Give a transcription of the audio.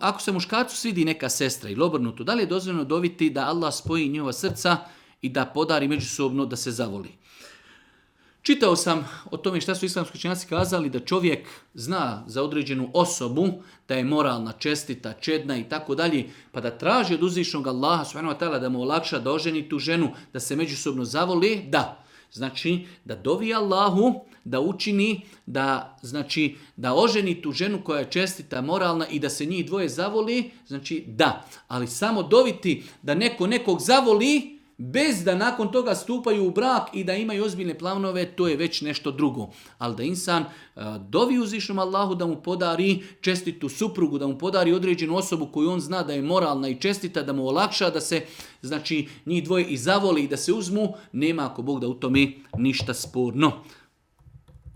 Ako se muškarcu svidi neka sestra ili obrnuto, da li je dozvoljeno doviti da Allah spoji njihova srca i da podari međusobno da se zavoli? Čitao sam o tome šta su islamski učenjaci kazali, da čovjek zna za određenu osobu da je moralna, čestita, čedna i tako dalje, pa da traži od uzvišnog Allaha subhanahu wa ta'ala da mu olakša da oženi tu ženu, da se međusobno zavoli, da. Znači, da dovi Allahu, da učini, da oženi tu ženu koja je čestita, moralna i da se njih dvoje zavoli, znači da. Ali samo doviti da neko nekog zavoli, bez da nakon toga stupaju u brak i da imaju ozbiljne planove, to je već nešto drugo. Ali da insan dovi uzvišnom Allahu da mu podari čestitu suprugu, da mu podari određenu osobu koju on zna da je moralna i čestita, da mu olakša da se njih dvoje i zavoli i da se uzmu, nema ako Bog da u tome ništa sporno.